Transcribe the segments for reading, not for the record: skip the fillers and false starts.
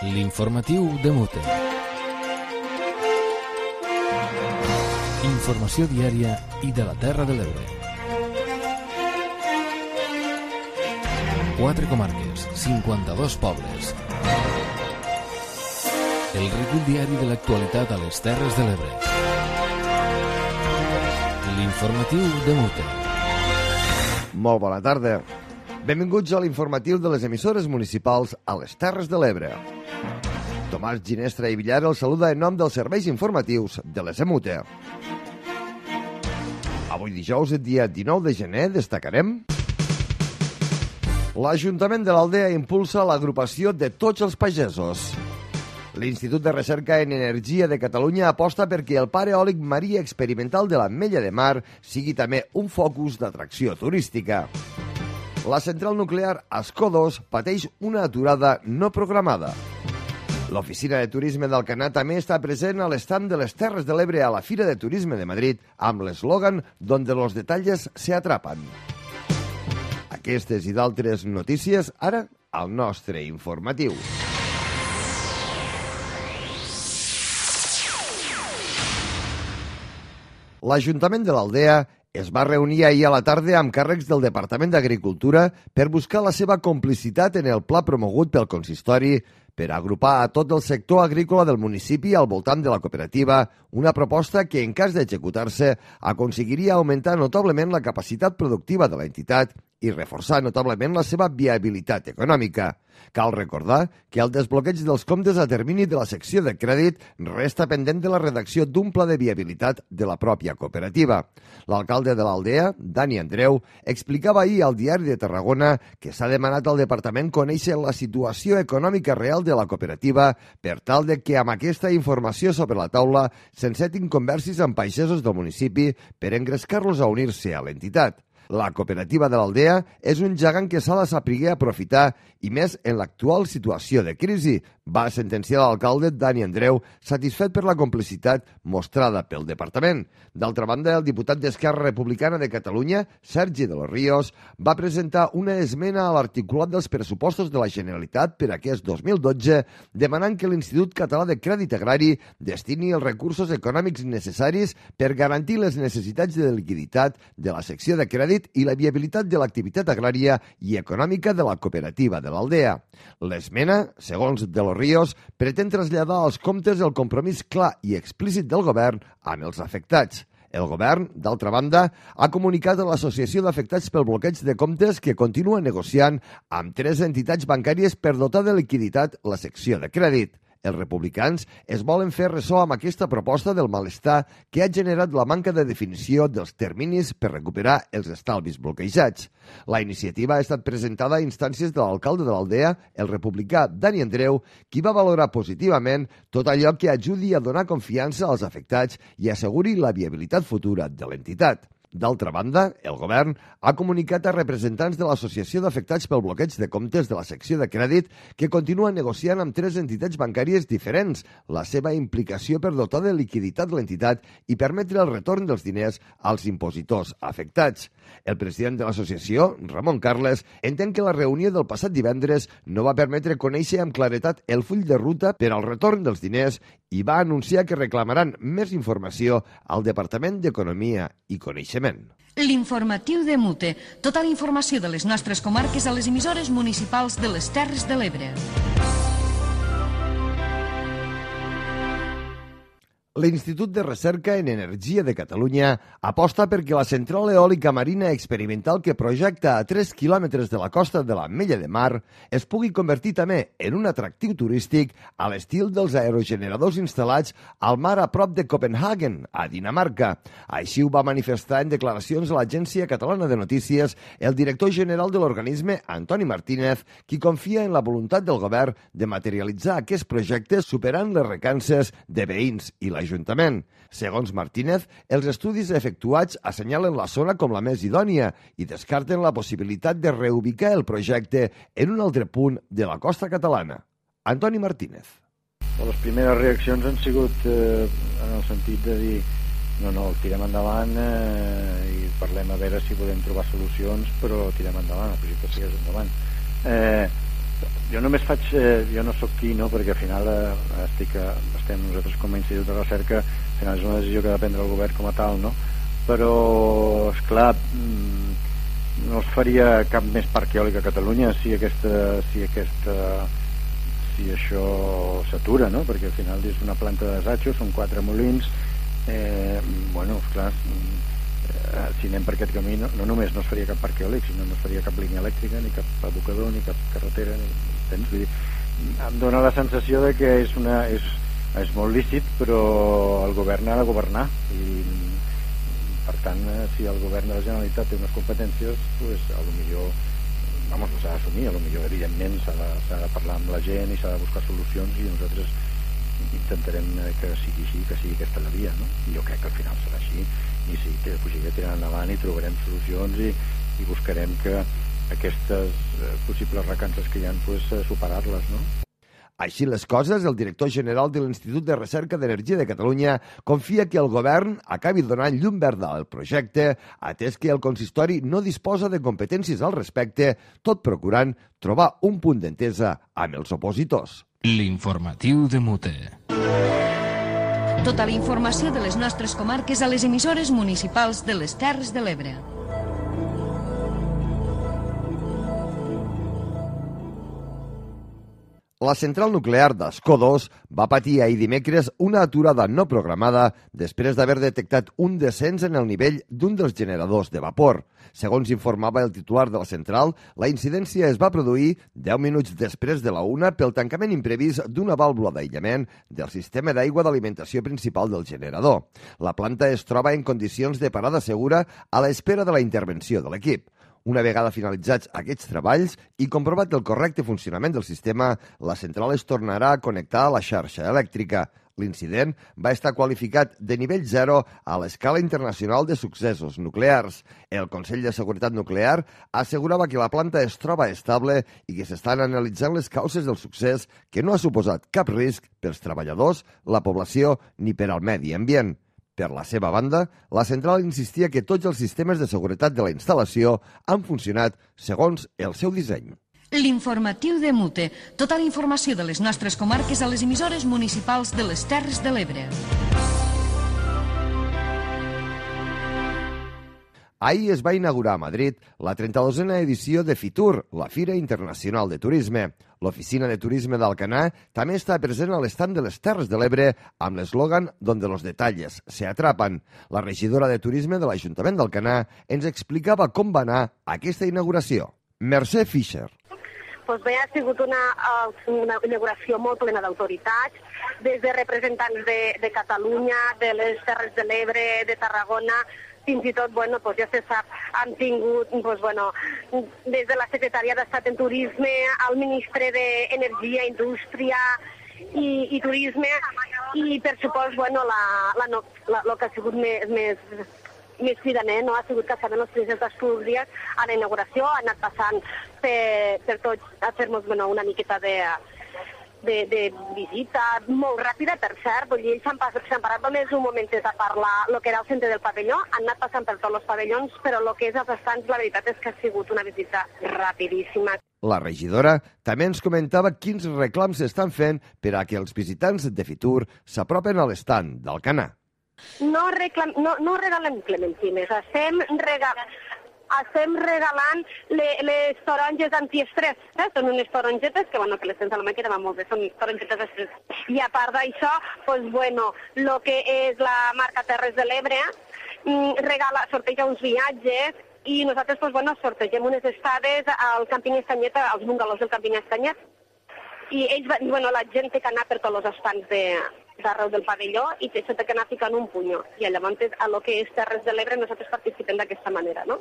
L'informatiu de Mute. Informació diària i de la Terra de l'Ebre. 4 comarques, 52 pobles. El recull diari de l'actualitat a les Terres de l'Ebre. L'informatiu de Mute. Molt bona tarda. Benvinguts a l'informatiu de les emissores municipals a les Terres de l'Ebre. Tomàs Ginestra i Villar el saluda en nom dels serveis informatius de les EMUTE. Avui dijous, dia 19 de gener, destacarem: l'Ajuntament de l'Aldea impulsa l'agrupació de tots els pagesos. L'Institut de Recerca en Energia de Catalunya aposta perquè el parc eòlic marí experimental de l'Ametlla de Mar sigui també un focus d'atracció turística. La central nuclear Ascó-2 pateix una aturada no programada. L'Oficina de Turisme d'Alcanar també està present a l'estand de les Terres de l'Ebre a la Fira de Turisme de Madrid amb l'eslògan «Donde los detalles se atrapan». Aquestes i d'altres notícies ara al nostre informatiu. L'Ajuntament de l'Aldea es va reunir ahir a la tarda amb càrrecs del Departament d'Agricultura per buscar la seva complicitat en el pla promogut pel consistori per agrupar a tot el sector agrícola del municipi al voltant de la cooperativa, una proposta que, en cas d'executar-se, aconseguiria augmentar notablement la capacitat productiva de l'entitat i reforçar notablement la seva viabilitat econòmica. Cal recordar que el desbloqueig dels comptes a termini de la secció de crèdit resta pendent de la redacció d'un pla de viabilitat de la pròpia cooperativa. L'alcalde de l'Aldea, Dani Andreu, explicava ahir al Diari de Tarragona que s'ha demanat al departament conèixer la situació econòmica real de la cooperativa per tal de que amb aquesta informació sobre la taula s'encetin conversis amb pagesos del municipi per engrescar-los a unir-se a l'entitat. La cooperativa de l'Aldea és un gegant que s'ha de saber aprofitar i més en l'actual situació de crisi, va sentenciar l'alcalde Dani Andreu, satisfet per la complicitat mostrada pel departament. D'altra banda, el diputat d'Esquerra Republicana de Catalunya, Sergi de los Ríos, va presentar una esmena a l'articulat dels pressupostos de la Generalitat per aquest 2012, demanant que l'Institut Català de Crèdit Agrari destini els recursos econòmics necessaris per garantir les necessitats de liquiditat de la secció de crèdit i la viabilitat de l'activitat agrària i econòmica de la cooperativa de l'Aldea. L'esmena, segons de los Ríos, pretén traslladar als comptes el compromís clar i explícit del govern amb els afectats. El govern, d'altra banda, ha comunicat a l'Associació d'Afectats pel bloqueig de comptes que continua negociant amb 3 entitats bancàries per dotar de liquiditat la secció de crèdit. Els republicans es volen fer ressò amb aquesta proposta del malestar que ha generat la manca de definició dels terminis per recuperar els estalvis bloquejats. La iniciativa ha estat presentada a instàncies de l'alcalde de l'Aldea, el republicà Dani Andreu, qui va valorar positivament tot allò que ajudi a donar confiança als afectats i asseguri la viabilitat futura de l'entitat. D'altra banda, el govern ha comunicat a representants de l'Associació d'Afectats pel bloqueig de comptes de la secció de crèdit que continua negociant amb 3 entitats bancàries diferents la seva implicació per dotar de liquiditat l'entitat i permetre el retorn dels diners als impositors afectats. El president de l'associació, Ramon Carles, entén que la reunió del passat divendres no va permetre conèixer amb claretat el full de ruta per al retorn dels diners i va anunciar que reclamaran més informació al Departament d'Economia i Coneixement. L'informatiu de Mute. Tota la informació de les nostres comarques a les emissores municipals de les Terres de l'Ebre. L'Institut de Recerca en Energia de Catalunya aposta perquè la central eòlica marina experimental que projecta a 3 quilòmetres de la costa de l'Ametlla de Mar es pugui convertir també en un atractiu turístic a l'estil dels aerogeneradors instal·lats al mar a prop de Copenhagen, a Dinamarca. Així ho va manifestar en declaracions a l'Agència Catalana de Notícies el director general de l'organisme, Antoni Martínez, qui confia en la voluntat del govern de materialitzar aquest projecte superant les recances de veïns i l'Ajuntament. Segons Martínez, els estudis efectuats assenyalen la zona com la més idònia i descarten la possibilitat de reubicar el projecte en un altre punt de la costa catalana. Antoni Martínez. Les primeres reaccions han sigut en el sentit de dir no, tirem endavant i parlem a veure si podem trobar solucions, però tirem endavant, el projecte segueix endavant. Jo només faig, jo no sóc qui, no? Perquè al final estem nosaltres com a institut de recerca, al final és una decisió que ha de prendre el govern com a tal, no? Però, esclar, no es faria cap més parc eòlic a Catalunya si això s'atura, no? Perquè al final és una planta de desatxo, són 4 molins, bueno, esclar, si anem per aquest camí no només no es faria cap parc eòlic, sinó no es faria cap línia elèctrica, ni cap abocador, ni cap carretera, vull dir, em dóna la sensació de que és molt lícit, però el govern ha de governar, i per tant, si el govern de la Generalitat té unes competències, pues, potser s'ha d'assumir, potser evidentment s'ha de parlar amb la gent i s'ha de buscar solucions, i nosaltres intentarem que sigui així, que sigui aquesta la via, no? I jo crec que al final serà així, i sí, que pujaré tirant endavant i trobarem solucions i buscarem que aquestes possibles recances que hi ha, pues, superar-les, no? Així les coses, el director general de l'Institut de Recerca d'Energia de Catalunya confia que el govern acabi donant llum verda al projecte, atès que el consistori no disposa de competències al respecte, tot procurant trobar un punt d'entesa amb els opositors. L'informatiu de Mute. Tota la informació de les nostres comarques a les emissores municipals de les Terres de l'Ebre. La central nuclear d'Ascó 2 va patir ahir dimecres una aturada no programada després d'haver detectat un descens en el nivell d'un dels generadors de vapor. Segons informava el titular de la central, la incidència es va produir 10 minuts després de la 1 pel tancament imprevist d'una vàlvula d'aïllament del sistema d'aigua d'alimentació principal del generador. La planta es troba en condicions de parada segura a l'espera de la intervenció de l'equip. Una vegada finalitzats aquests treballs i comprovat el correcte funcionament del sistema, la central es tornarà a connectar a la xarxa elèctrica. L'incident va estar qualificat de nivell 0 a l'escala internacional de successos nuclears. El Consell de Seguretat Nuclear assegurava que la planta es troba estable i que s'estan analitzant les causes del succés, que no ha suposat cap risc pels treballadors, la població ni per al medi ambient. Per la seva banda, la central insistia que tots els sistemes de seguretat de la instal·lació han funcionat segons el seu disseny. L'informatiu de Mute. Tota la informació de les nostres comarques a les emissores municipals de les Terres de l'Ebre. Ahir es va inaugurar a Madrid la 32a edició de FITUR, la Fira Internacional de Turisme. L'Oficina de Turisme d'Alcanar també està present a l'estand de les Terres de l'Ebre amb l'eslògan «Donde los detalles se atrapan». La regidora de Turisme de l'Ajuntament d'Alcanar ens explicava com va anar aquesta inauguració. Mercè Fischer. Doncs bé, ha sigut una inauguració molt plena d'autoritats, des de representants de Catalunya, de les Terres de l'Ebre, de Tarragona. Fins i tot, doncs ja se sap, han tingut des de la Secretaria d'Estat en Turisme al Ministre d'Energia, Indústria i Turisme, i per supost, el que ha sigut més cridaner, no? Ha sigut que estaven els presidents d'Astúries a la inauguració, han anat passant per tots a fer-nos una miqueta de visita, molt ràpida, per cert. Vull dir, ells s'han parat només un momentet a parlar el que era el centre del pavelló, han anat passant per tots els pavellons, però el que és els estants, la veritat és que ha sigut una visita rapidíssima. La regidora també ens comentava quins reclams s'estan fent per a que els visitants de Fitur s'apropen a l'estand d'Alcanar. No regalem clementines, estem regalant les taronges antiestrès. Són unes tarongetes que les tens a la mà que van molt bé, són tarongetes d'estrès. I a part d'això, el que és la marca Terres de l'Ebre sorteja uns viatges i nosaltres sortegem unes estades al càmping Estanyet, als bungalows del càmping Estanyet. I ells, la gent té que anar per tots els estants d'arreu del pavelló i s'ha de anar ficant un punyo. I llavors, a lo que és Terres de l'Ebre, nosaltres participem d'aquesta manera, no?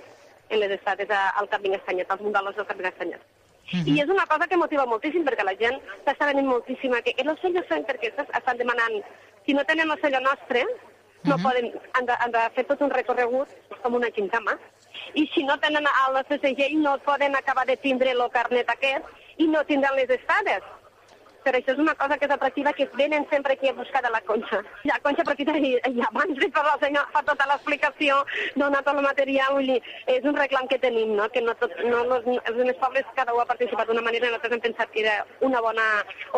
En les estades al Camping Estanyet, als bungalows del Camping Estanyet. I és una cosa que motiva moltíssim, perquè la gent s'està venint moltíssim que els sellos són perquè estan demanant, si no tenen el sello nostre, no poden, han de fer tot un recorregut com una xincama, i si no tenen el nostre segell no poden acabar de tindre el carnet aquest i no tindran les estades. Però això és una cosa que és atractiva, que venen sempre aquí a buscar de la Conxa. La Conxa aprofita i abans de fer la senyor fa tota l'explicació, dona tot el material, vull dir, és un reclam que tenim, no? Que no els més pobles cada un ha participat d'una manera, nosaltres hem pensat que era una bona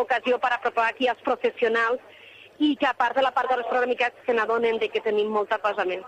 ocasió per apropar aquí als professionals i que a part de la part de les programicats se n'adonen de que tenim molta cosa més.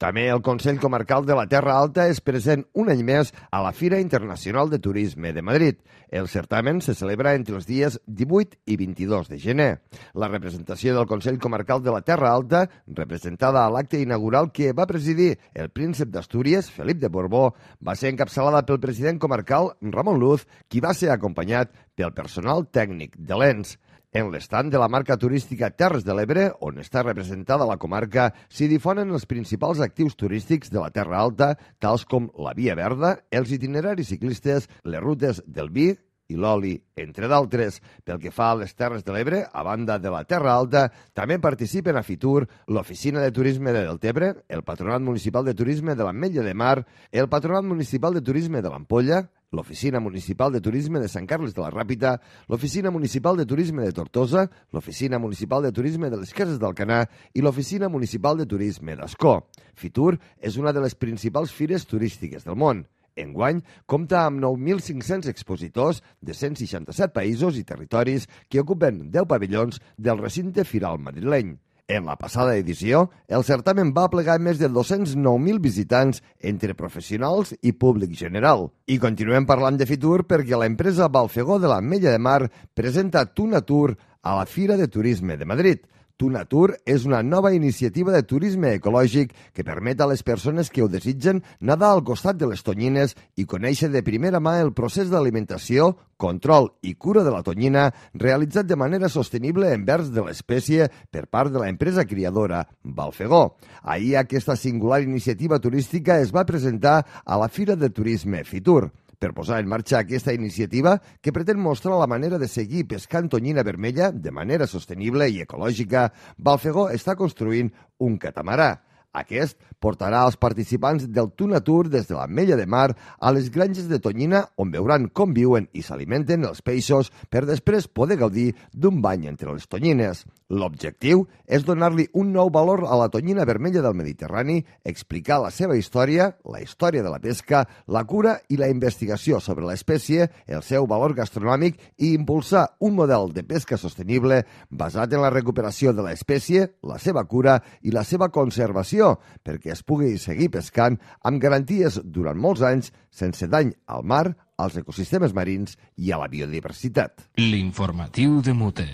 També el Consell Comarcal de la Terra Alta és present un any més a la Fira Internacional de Turisme de Madrid. El certamen se celebra entre els dies 18 i 22 de gener. La representació del Consell Comarcal de la Terra Alta, representada a l'acte inaugural que va presidir el príncep d'Astúries, Felip de Borbó, va ser encapçalada pel president comarcal, Ramon Luz, qui va ser acompanyat pel personal tècnic de l'ENS. En l'estand de la marca turística Terres de l'Ebre, on està representada la comarca, s'hi difonen els principals actius turístics de la Terra Alta, tals com la Via Verda, els itineraris ciclistes, les rutes del vi i l'oli, entre d'altres. Pel que fa a les Terres de l'Ebre, a banda de la Terra Alta, també participen a Fitur l'Oficina de Turisme de Deltebre, el Patronat Municipal de Turisme de l'Ametlla de Mar, el Patronat Municipal de Turisme de l'Ampolla, l'Oficina Municipal de Turisme de Sant Carles de la Ràpita, l'Oficina Municipal de Turisme de Tortosa, l'Oficina Municipal de Turisme de les Cases d'Alcanar i l'Oficina Municipal de Turisme d'Ascó. Fitur és una de les principals fires turístiques del món. Enguany, compta amb 9.500 expositors de 167 països i territoris que ocupen 10 pavellons del recinte firal madrileny. En la passada edició, el certamen va plegar més de 209.000 visitants entre professionals i públic general. I continuem parlant de Fitur perquè l'empresa Balfegó de l'Ametlla de Mar presenta Tunatur a la Fira de Turisme de Madrid. Tunatur és una nova iniciativa de turisme ecològic que permet a les persones que ho desitgen nedar al costat de les tonyines i conèixer de primera mà el procés d'alimentació, control i cura de la tonyina realitzat de manera sostenible envers de l'espècie per part de l'empresa criadora Balfegó. Ahir aquesta singular iniciativa turística es va presentar a la Fira de Turisme Fitur. Per posar en marxa aquesta iniciativa, que pretén mostrar la manera de seguir pescant tonyina vermella de manera sostenible i ecològica, Balfegó està construint un catamarà. Aquest portarà els participants del Tunatur des de l'Ametlla de Mar a les granges de tonyina on veuran com viuen i s'alimenten els peixos per després poder gaudir d'un bany entre les tonyines. L'objectiu és donar-li un nou valor a la tonyina vermella del Mediterrani, explicar la seva història, la història de la pesca, la cura i la investigació sobre l'espècie, el seu valor gastronòmic i impulsar un model de pesca sostenible basat en la recuperació de l'espècie, la seva cura i la seva conservació, perquè es pugui seguir pescant amb garanties durant molts anys sense dany al mar, als ecosistemes marins i a la biodiversitat. L'informatiu de Mute.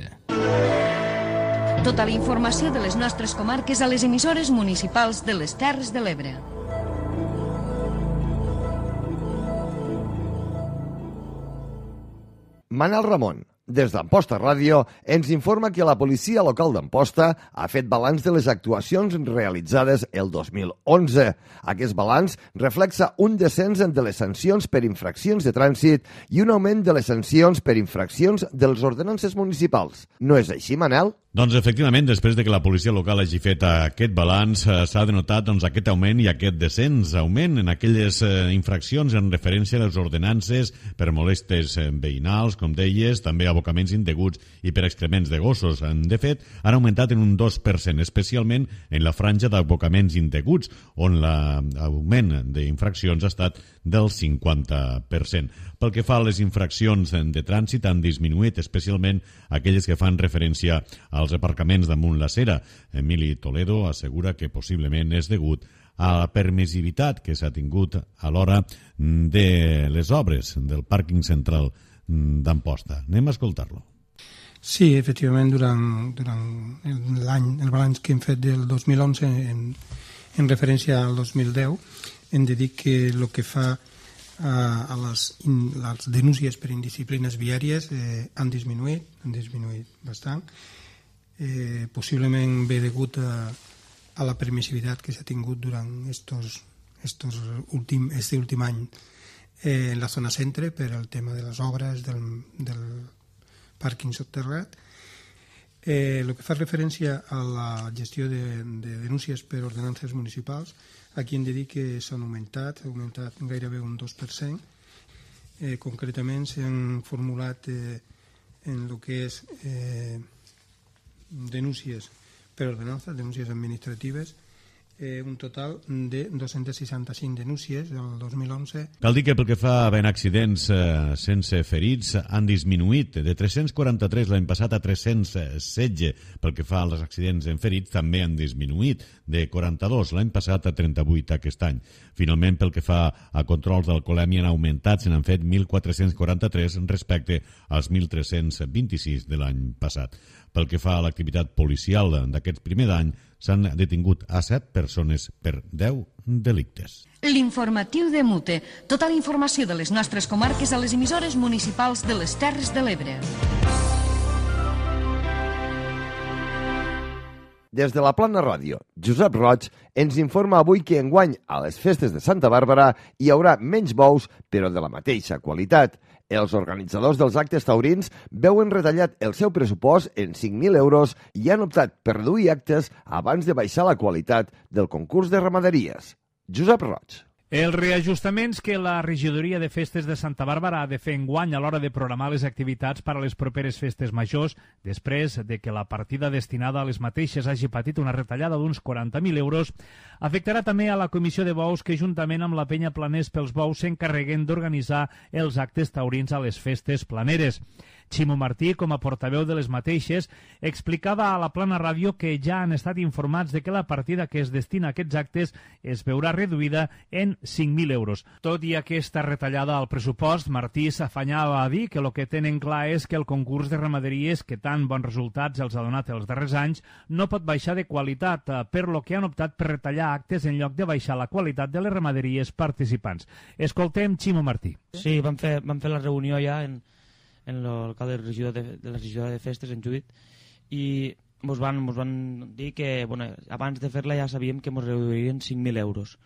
Tota la informació de les nostres comarques a les emissores municipals de les Terres de l'Ebre. Manel Ramon, des d'Amposta Ràdio, ens informa que la policia local d'Amposta ha fet balanç de les actuacions realitzades el 2011. Aquest balanç reflexa un descens de les sancions per infraccions de trànsit i un augment de les sancions per infraccions de les ordenances municipals. No és així, Manel? Doncs efectivament, després de que la policia local hagi fet aquest balanç, s'ha denotat aquest augment i aquest descens. Augment en aquelles infraccions en referència a les ordenances per molestes veïnals, com deies, també abocaments indeguts i per excrements de gossos. De fet, han augmentat en un 2%, especialment en la franja d'abocaments indeguts, on l'augment d'infraccions ha estat del 50%. Pel que fa a les infraccions de trànsit, han disminuït especialment aquelles que fan referència als aparcaments damunt la cera. Emili Toledo assegura que possiblement és degut a la permissivitat que s'ha tingut a l'hora de les obres del pàrquing central d'Amposta. Anem a escoltar-lo. Sí, efectivament, durant l'any, el balanç que hem fet del 2011 en referència al 2010, hem de dir que el que fa a les denúncies per indisciplines viàries han disminuït bastant. Possiblement ve degut a la permissivitat que s'ha tingut durant este últim any en la zona centre per el tema de les obres del pàrquing soterrat. El que fa referència a la gestió de denúncies per ordenances municipals, aquí hem de dir que s'han augmentat gairebé un 2%. Concretament s'han formulat en el que és denúncies per ordenança, denúncies administratives, un total de 265 denúncies del 2011. Cal dir que pel que fa a accidents sense ferits han disminuït de 343 l'any passat a 316. Pel que fa als accidents en ferits també han disminuït de 42 l'any passat a 38 aquest any. Finalment, pel que fa a controls d'alcoholèmia han augmentat, se n'han fet 1.443 respecte als 1.326 de l'any passat. Pel que fa a l'activitat policial d'aquest primer d'any, s'han detingut a 7 persones per 10 delictes. L'informatiu de Mute. Tota la informació de les nostres comarques a les emissores municipals de les Terres de l'Ebre. Des de la Plana Ràdio, Josep Roig ens informa avui que enguany a les festes de Santa Bàrbara hi haurà menys bous, però de la mateixa qualitat. Els organitzadors dels actes taurins veuen retallat el seu pressupost en 5.000 euros i han optat per reduir actes abans de baixar la qualitat del concurs de ramaderies. Josep Roig. Els reajustaments que la regidoria de festes de Santa Bàrbara ha de fer enguany a l'hora de programar les activitats per a les properes festes majors, després de que la partida destinada a les mateixes hagi patit una retallada d'uns 40.000 euros, afectarà també a la comissió de bous que, juntament amb la penya Planers pels Bous, s'encarreguen d'organitzar els actes taurins a les festes planeres. Ximo Martí, com a portaveu de les mateixes, explicava a la Plana Ràdio que ja han estat informats de que la partida que es destina a aquests actes es veurà reduïda en 5.000 euros. Tot i aquesta retallada al pressupost, Martí s'afanyava a dir que el que tenen clar és que el concurs de ramaderies, que tan bons resultats els ha donat els darrers anys, no pot baixar de qualitat, per lo que han optat per retallar actes en lloc de baixar la qualitat de les ramaderies participants. Escoltem Ximo Martí. Sí, vam fer la reunió ja en l'alcalde de la regidora de festes, en Judit, i ens van dir que abans de fer-la ja sabíem que ens reduirien 5.000 euros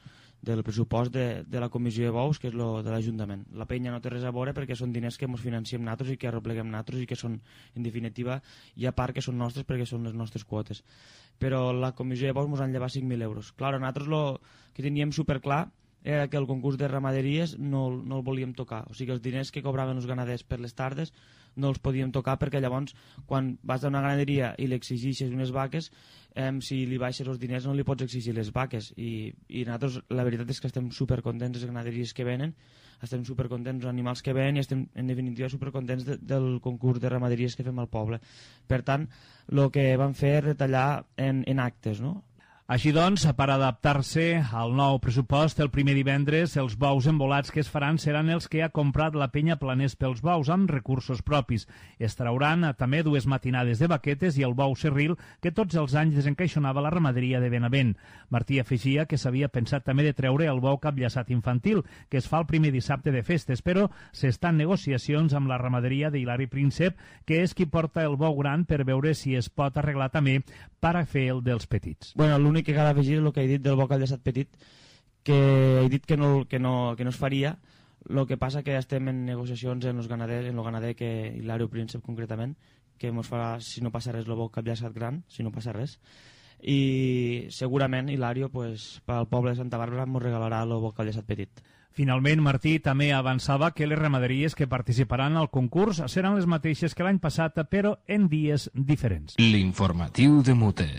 del pressupost de la comissió de bous, que és lo de l'Ajuntament. La penya no té res a veure perquè són diners que ens financiem nosaltres i que arrepleguem nosaltres i que són, en definitiva, i a part que són nostres perquè són les nostres quotes. Però la comissió de bous ens han llevat 5.000 euros. Clar, nosaltres el que teníem superclar era que el concurs de ramaderies no el volíem tocar. O sigui, els diners que cobraven els ganaders per les tardes no els podíem tocar perquè llavors, quan vas a una ganaderia i li exigeixes unes vaques, si li baixes els diners no li pots exigir les vaques. I nosaltres, la veritat és que estem supercontents les ganaderies que venen, estem supercontents els animals que venen i estem, en definitiva, supercontents del concurs de ramaderies que fem al poble. Per tant, el que vam fer és retallar en actes, no? Així doncs, per adaptar-se al nou pressupost, el primer divendres els bous embolats que es faran seran els que ha comprat la penya Planers pels Bous amb recursos propis. Es trauran també 2 matinades de vaquetes i el bou serril que tots els anys desencaixonava la ramaderia de Benavent. Martí afegia que s'havia pensat també de treure el bou capllaçat infantil, que es fa el primer dissabte de festes, però s'estan negociacions amb la ramaderia d'Hilari Príncep, que és qui porta el bou gran, per veure si es pot arreglar també per a fer el dels petits. L'únic que cal afegir és el que he dit del bou capllaçat petit, que he dit que no es faria. El que passa que estem en negociacions en el ganader que Hilari Príncep concretament, que ens farà, si no passa res, el bou capllaçat gran, si no passa res. I segurament Hilario, pel poble de Santa Bàrbara, ens regalarà el bou capllaçat petit. Finalment, Martí també avançava que les ramaderies que participaran al concurs seran les mateixes que l'any passat, però en dies diferents. L'informatiu de Mute.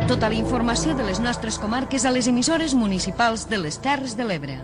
Tota la informació de les nostres comarques a les emissores municipals de les Terres de l'Ebre.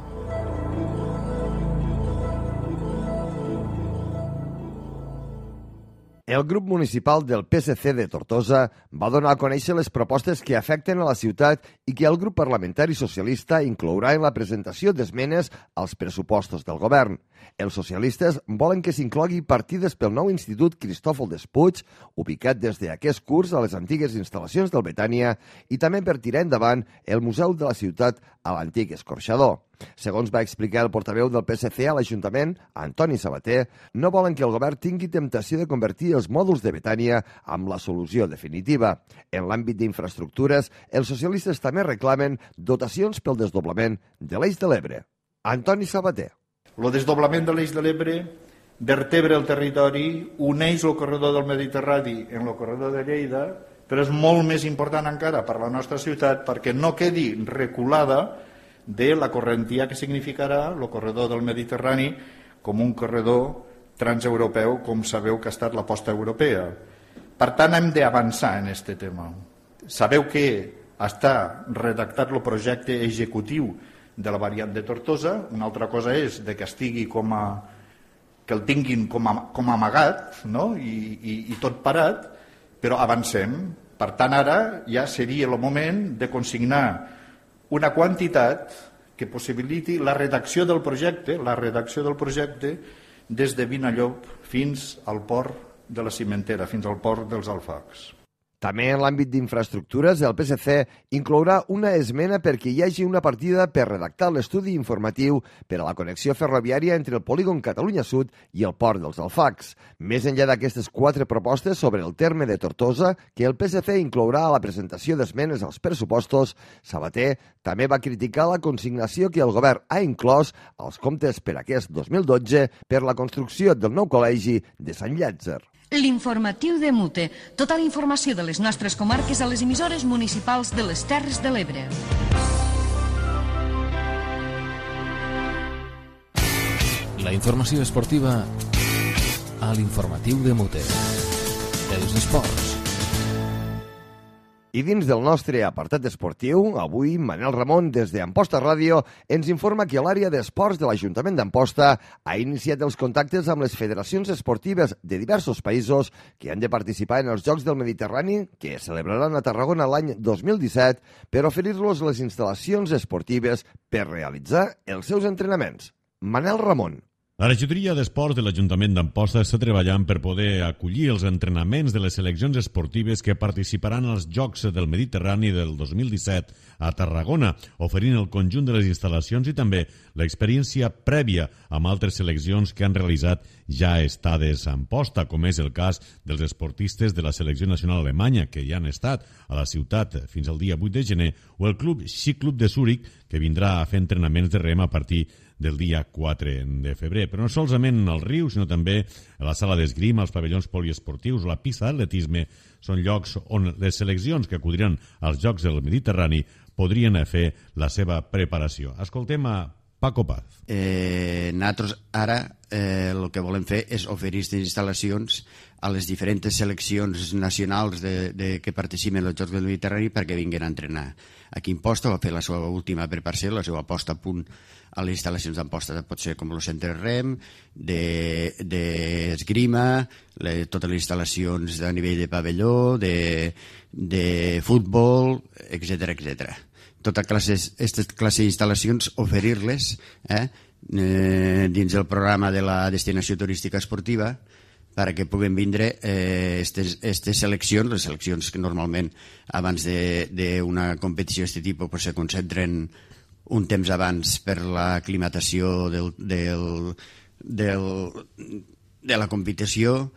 El grup municipal del PSC de Tortosa va donar a conèixer les propostes que afecten a la ciutat i que el grup parlamentari socialista inclourà en la presentació d'esmenes als pressupostos del govern. Els socialistes volen que s'inclogui partides pel nou Institut Cristòfol Despuig, ubicat des d'aquest curs a les antigues instal·lacions del Betània, i també per tirar endavant el Museu de la Ciutat a l'antic escorxador. Segons va explicar el portaveu del PSC a l'Ajuntament, Antoni Sabater, no volen que el govern tingui temptació de convertir els mòduls de Betània amb la solució definitiva. En l'àmbit d'infraestructures, els socialistes també reclamen dotacions pel desdoblament de l'Eix de l'Ebre. Antoni Sabater. El desdoblament de l'Eix de l'Ebre vertebra el territori, uneix el corredor del Mediterrani en el corredor de Lleida, però és molt més important encara per a la nostra ciutat perquè no quedi reculada de la correntia que significarà el corredor del Mediterrani com un corredor transeuropeu, com sabeu que ha estat l'aposta europea. Per tant, hem d'avançar en aquest tema. Sabeu que està redactat el projecte executiu de la variant de Tortosa. Una altra cosa és de que estigui que el tinguin com a amagat, no? I tot parat, però avancem. Per tant, ara ja seria el moment de consignar una quantitat que possibiliti la redacció del projecte des de Vinallop fins al port de la Cimentera, fins al port dels Alfacs. També en l'àmbit d'infraestructures, el PSC inclourà una esmena perquè hi hagi una partida per redactar l'estudi informatiu per a la connexió ferroviària entre el polígon Catalunya Sud i el port dels Alfacs. Més enllà d'aquestes 4 propostes sobre el terme de Tortosa, que el PSC inclourà a la presentació d'esmenes als pressupostos, Sabater també va criticar la consignació que el govern ha inclòs als comptes per aquest 2012 per la construcció del nou col·legi de Sant Llàtzer. L'informatiu de Mute. Tota la informació de les nostres comarques a les emissores municipals de les Terres de l'Ebre. La informació esportiva a l'informatiu de Mute. Els esports. I dins del nostre apartat esportiu, avui Manel Ramon, des d'Amposta Ràdio, ens informa que l'àrea d'esports de l'Ajuntament d'Amposta ha iniciat els contactes amb les federacions esportives de diversos països que han de participar en els Jocs del Mediterrani, que es celebraran a Tarragona l'any 2017, per oferir-los les instal·lacions esportives per realitzar els seus entrenaments. Manel Ramon. La regidoria d'Esports de l'Ajuntament d'Amposta està treballant per poder acollir els entrenaments de les seleccions esportives que participaran als Jocs del Mediterrani del 2017 a Tarragona, oferint el conjunt de les instal·lacions i també l'experiència prèvia amb altres seleccions que han realitzat ja estades a Amposta, com és el cas dels esportistes de la selecció nacional alemanya, que ja han estat a la ciutat fins al dia 8 de gener, o el club Ciclub de Zúrich, que vindrà a fer entrenaments de rem a partir del dia 4 de febrer. Però no solament al riu, sinó també a la sala d'esgrima, als pavellons poliesportius, la pista d'atletisme, són llocs on les seleccions que acudiran als Jocs del Mediterrani podrien fer la seva preparació. Escoltem a Paco Paz. Nosaltres ara el que volem fer és oferir aquestes instal·lacions a les diferents seleccions nacionals que participen als Jocs del Mediterrani perquè vinguin a entrenar. Aquí Amposta va fer la seva última preparació, la seva posta a punt a les instal·lacions d'Amposta. Pot ser com el centre REM, d'esgrima, totes les instal·lacions a nivell de pavelló, de futbol, etc. Tota aquestes classes d'instal·lacions, oferir-les dins el programa de la destinació turística esportiva perquè puguen vindre aquestes seleccions, les seleccions que normalment abans d'una competició d'aquest tipus se concentren un temps abans per l'aclimatació de la competició,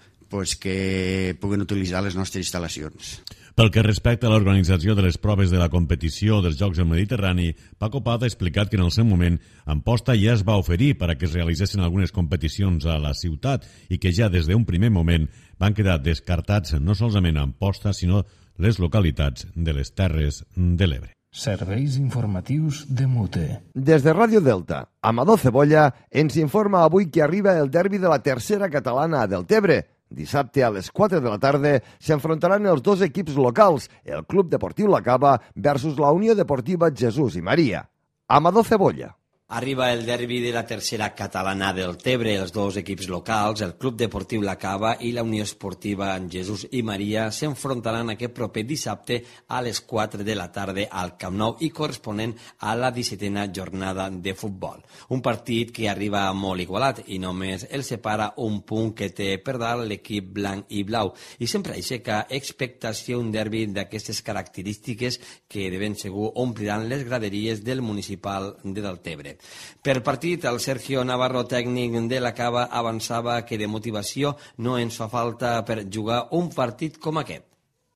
que puguen utilitzar les nostres instal·lacions. Pel que respecta a l'organització de les proves de la competició dels Jocs del Mediterrani, Paco Paz ha explicat que en el seu moment Amposta ja es va oferir per a que es realitzessin algunes competicions a la ciutat i que ja des d'un primer moment van quedar descartats no solament a Amposta, sinó les localitats de les Terres de l'Ebre. Serveis informatius de Mute. Des de Ràdio Delta, Amador Cebolla ens informa avui que arriba el derbi de la tercera catalana a Deltebre. Dissabte a les 4 de la tarda s'enfrontaran els dos equips locals, el Club Deportiu La Cava versus la Unió Deportiva Jesús i Maria. Amador Cebolla. Arriba el derbi de la tercera catalana del Tebre. Els dos equips locals, el Club Deportiu La Cava i la Unió Esportiva Jesús i Maria, s'enfrontaran aquest proper dissabte a les 4 de la tarda al Camp Nou i corresponent a la 17a jornada de futbol. Un partit que arriba molt igualat i només el separa un punt que té per dalt l'equip blanc i blau. I sempre aixeca expectació un derbi d'aquestes característiques que de ben segur ompliran les graderies del municipal de Deltebre. Per partit, el Sergio Navarro, tècnic de la Cava, avançava que de motivació no ens fa falta per jugar un partit com aquest.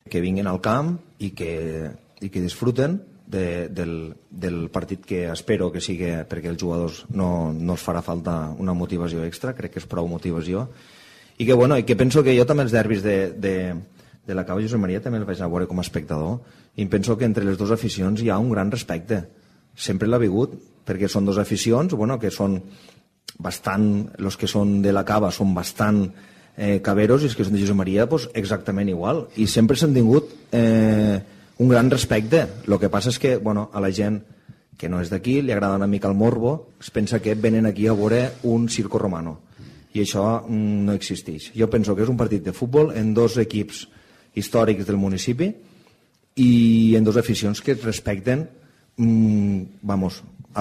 Que vinguin al camp i que disfruten del partit, que espero que sigui, perquè els jugadors no els farà falta una motivació extra, crec que és prou motivació, i que penso que jo també els derbis de la Cava i Josep Maria també els vaig a veure com a espectador, i penso que entre les dues aficions hi ha un gran respecte, sempre l'ha hagut, perquè són dues aficions que són els que són de la Cava són bastant caberos, i els que són de Jesús Maria pues, exactament igual, i sempre s'han tingut un gran respecte. El que passa és que a la gent que no és d'aquí li agrada una mica el morbo, es pensa que venen aquí a veure un circo romano, i això no existeix. Jo penso que és un partit de futbol en dos equips històrics del municipi i en dos aficions que es respecten al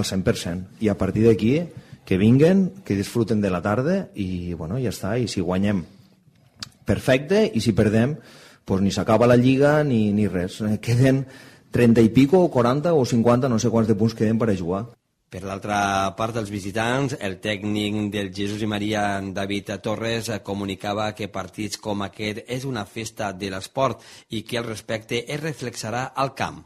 100%, i a partir d'aquí que vinguen, que disfruten de la tarda i ja està, i si guanyem perfecte, i si perdem pues ni s'acaba la lliga ni res, queden 30 i pico o 40 o 50, no sé quants de punts queden per a jugar. Per l'altra part dels visitants, el tècnic del Jesús i Maria, David Torres, comunicava que partits com aquest és una festa de l'esport i que el respecte es reflexarà al camp.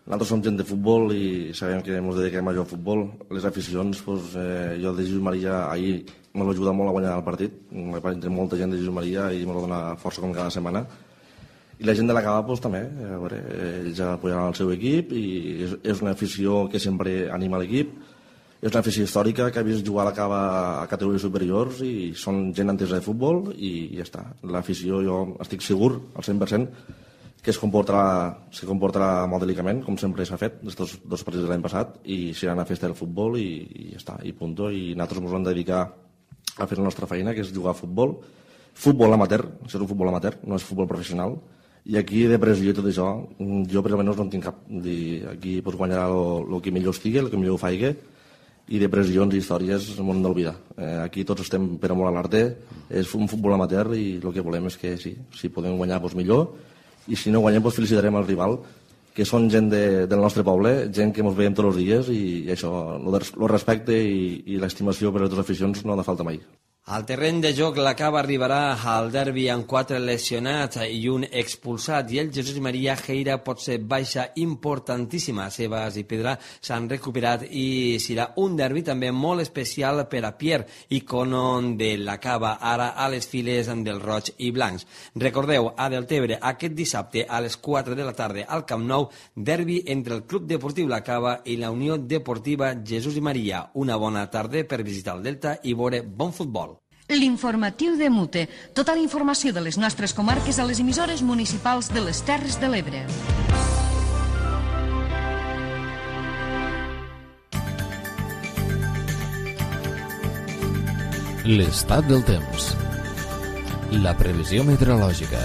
Nosaltres som gent de futbol i sabem que ens dediquem a jugar al futbol. Les aficions, jo de Jesús Maria ahir m'ha ajudat molt a guanyar el partit. Entre molta gent de Jesús Maria i m'ha donat força com cada setmana. I la gent de la Cava també, ells apoyaran el seu equip i és una afició que sempre anima l'equip. És una afició històrica que ha vist jugar a la Cava a categories superiors i són gent entesa de futbol i ja està. L'afició, jo estic segur al 100% que se comportarà molt delicament, com sempre s'ha fet aquests dos partits de l'any passat, i serà una festa del futbol i ja està, i punto. I nosaltres ens hem de dedicar a fer la nostra feina, que és jugar a futbol. Futbol amateur, això és un futbol amateur, no és futbol professional. I aquí de pressió i tot això, jo per almenys no en tinc cap. Aquí guanyarà el que millor estigui, el que millor ho faigui, i de pressions i històries m'ho hem d'oblidar. Aquí tots estem per amor a l'arte, és un futbol amateur i el que volem és que sí, si podem guanyar millor, i si no guanyem felicitarem el rival, que són gent del nostre poble, gent que ens veiem tots els dies, i això, el respecte i l'estimació per a les aficions no ha de falta mai. Al terreny de joc, la Cava arribarà al derbi amb 4 lesionats i un expulsat, i el Jesús i Maria Geira pot ser baixa importantíssima. Sebas i Pedra s'han recuperat i serà un derbi també molt especial per a Pierre, icono de la Cava, ara a les files del roig i blancs. Recordeu, a Deltebre, aquest dissabte a les 4 de la tarda al Camp Nou, derbi entre el Club Deportiu La Cava i la Unió Deportiva Jesús i Maria. Una bona tarda per visitar el Delta i veure bon futbol. L'informatiu de Mute. Tota la informació de les nostres comarques a les emissores municipals de les Terres de l'Ebre. L'estat del temps. La previsió meteorològica.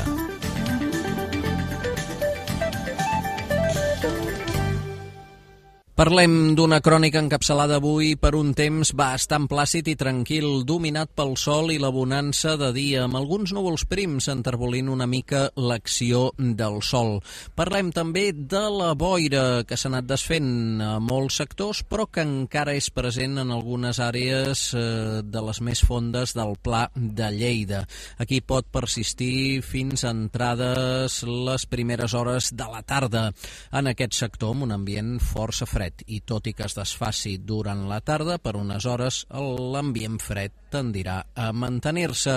Parlem d'una crònica encapçalada avui per un temps bastant plàcid i tranquil, dominat pel sol i la bonança de dia, amb alguns núvols prims enterbolint una mica l'acció del sol. Parlem també de la boira que s'ha anat desfent a molts sectors, però que encara és present en algunes àrees de les més fondes del Pla de Lleida. Aquí pot persistir fins a entrades les primeres hores de la tarda. En aquest sector, amb un ambient força fred, i tot i que es desfaci durant la tarda, per unes hores l'ambient fred tendirà a mantenir-se.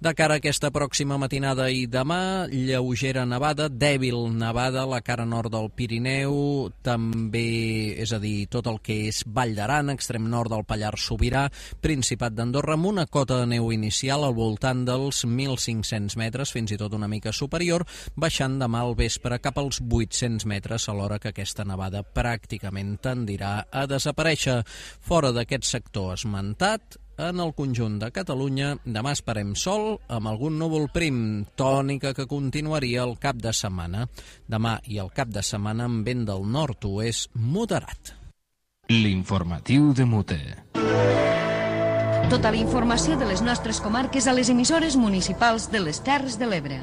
De cara a aquesta pròxima matinada i demà, lleugera nevada, dèbil nevada a la cara nord del Pirineu, també, és a dir, tot el que és Vall d'Aran, extrem nord del Pallars Sobirà, Principat d'Andorra, amb una cota de neu inicial al voltant dels 1.500 metres, fins i tot una mica superior, baixant demà al vespre cap als 800 metres, alhora que aquesta nevada pràcticament tendirà a desaparèixer. Fora d'aquest sector esmentat, en el conjunt de Catalunya, demà esperem sol amb algun núvol prim, tònica que continuaria el cap de setmana. Demà i el cap de setmana amb vent del nord-oest moderat. L'informatiu de Mute. Tota la informació de les nostres comarques a les emissores municipals de les Terres de l'Ebre.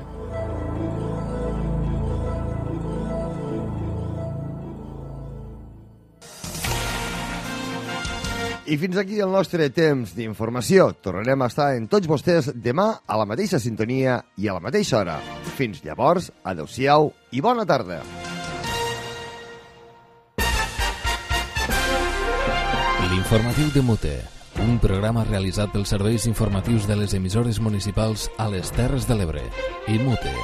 I fins aquí el nostre temps d'informació. Tornarem a estar en tots vostès demà a la mateixa sintonia i a la mateixa hora. Fins llavors, adeu-siau i bona tarda. L'informatiu de Mute, un programa realitzat pels serveis informatius de les emissores municipals a les Terres de l'Ebre i Mute.